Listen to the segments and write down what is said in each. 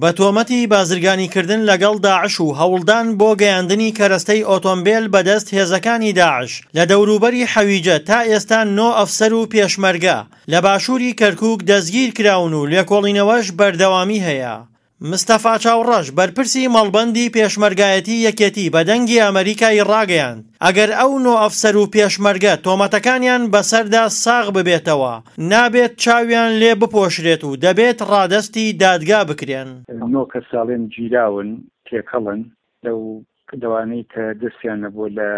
بە تۆمەتی بازرگانیکردن لەگەڵ داعش و هەوڵدان بۆ گەیاندنی کەرەستەی ئۆتۆمبێل بەدەست هێزەکانی داعش لە دەوروبەری حەویجە تا ئێستا نۆ ئەفسەر و پێشمەرگە لە باشووری کەرکووک دەستگیرکراون و لێکۆڵینەوەش بەردەوامی هەیە. مستەفا چاوڕەش، بەرپرسی مەڵبەندی پێشمەرگایەتی یەکێتی بە دەنگی ئەمەریکای ڕاگەیاند، ئەگەر ئەو نۆ ئەفسەر و پێشمەرگە تۆمەتەکانیان بەسەردا ساغ ببێتەوە، نابێت چاویان لێ بپۆشرێت و دەبێت ڕادەستی دادگا بکرێن. نۆ کەس ئەڵێن گیراون، تێکەڵن لەو لەوانەی کە دەستیان نەبووە لە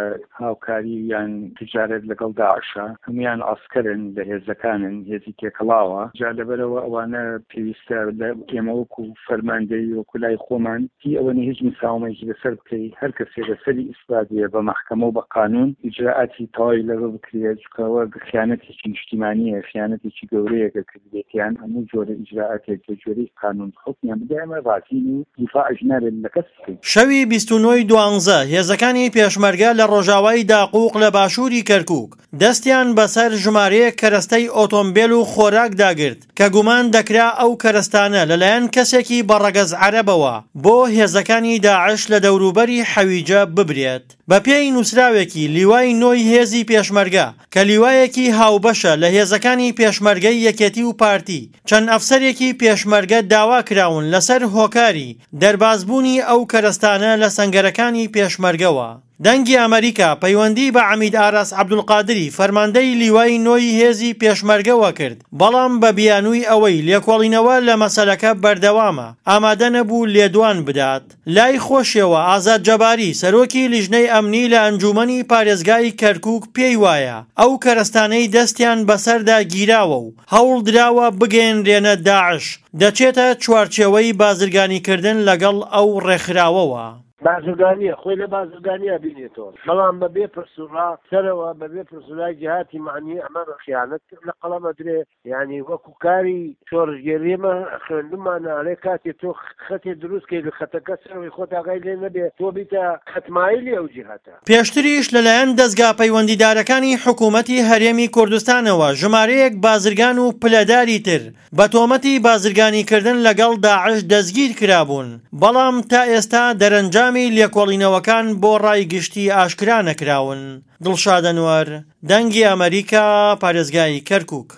هاوکاری یان تجارەت لەگەڵ داعشا، هەموویان عەسکەرن لە هێزەکانن، هێزی تێکەڵاوە، جا لەبەرئەوە ئەوانە پێویستە لە ئێمە وەکو فەرماندەیی وەکو لای خۆمان هی ئەوە نیە هیچ مساومەیەکی لەسەر بکەی، هەر کەسێ لەسەری ئیسبات بێ بە مەحکەمە و بە قانون ئیجرائاتی تەواوی لەگەڵ بکرێ، چونکە ئەوە خیانەتێکی نیشتیمانیە، خیانەتێکی گەورەیە کە کردبێتیان، هەموو جۆرە ئیجرائاتێک بە گوێرەی قانون حوکمیان بدە ئێمە ڕازین و دیفاعش نابێت لە کەس. شەوی 29 ی دوانزە هێزەکانی پێشمەرگە لە ڕۆژاوای داقوق لە باشووری کەرکووک دەستیان بەسەر ژمارەیەک کەرەستەی ئۆتۆمبێل و خۆراکدا گرت کە گومان دەکرا ئەو کەرەستانە لەلایەن کەسێکی بە ڕەگەز عەرەبەوە بۆ هێزەکانی داعش لە دەوروبەری حەویجە ببرێت. بەپێی نووسراوێکی لیوای نۆی هێزی پێشمەرگە کە لیوایەکی هاوبەشە لە هێزەکانی پێشمەرگەی یەکێتی و پارتی، چەند ئەفسەرێکی پێشمەرگە داوا کراون لەسەر هۆکاری دەربازبوونی ئەو کەرەستانە لە سەنگەرەکانی پێشمەرگەوە. دەنگی ئەمەریکا پەیوەندی بە عەمید ئاراس عەبدولقادری فەرماندەی لیوای نۆی هێزی پێشمەرگەوە کرد، بەڵام بە بیانووی ئەوەی لێکۆڵینەوە لە مەسەلەکە بەردەوامە، ئامادە نەبوو لێدوان بدات. لای خۆشیەوە ئازاد جەباری، سەرۆکی لیژنەی ئەمنی لە ئەنجوومەنی پارێزگای کەرکووک پێی وایە، ئەو کەرەستانەی دەستیان بەسەردا گیراوە و هەوڵدراوە بگەیەنرێنە داعش، دەچێتە چوارچێوەی بازرگانیکردن لەگەڵ ئەو ڕێکخراوەوە. بازرگانییە، خۆی لە بازرگانییا بینێتەوە، بەڵام بە بێ پرس و ڕا سەرەوە، بە بێ پرس و رای جیهاتی مەعنی ئەمە بە خیانەت لە قەڵەم ئەدرێ. یانی وەکو کاری شۆڕشگێری ئێمە خوێندومانە ئەڵێ کاتێ تۆ خەتێ دروست کەی لە خەتەکە سەرەوەی خۆت ئاگای لێ نەبێ تۆ بیتە خەتمایلی ئەو جیهەتە. پێشتریش لەلایەن دەزگا پەیوەندیدارەکانی حکوومەتی هەرێمی کوردستانەوە ژمارەیەک بازرگان و پلەداری تر بە تۆمەتی بازرگانیکردن لەگەڵ داعش دەستگیر کرابوون، بەڵام تا ئێستا دەرەنجامی لێکۆڵینەوەکان بۆ ڕای گشتی ئاشکرا نەکراون. دڵشاد ئەنوەر، دەنگی ئەمەریکا، پارێزگای کەرکووک.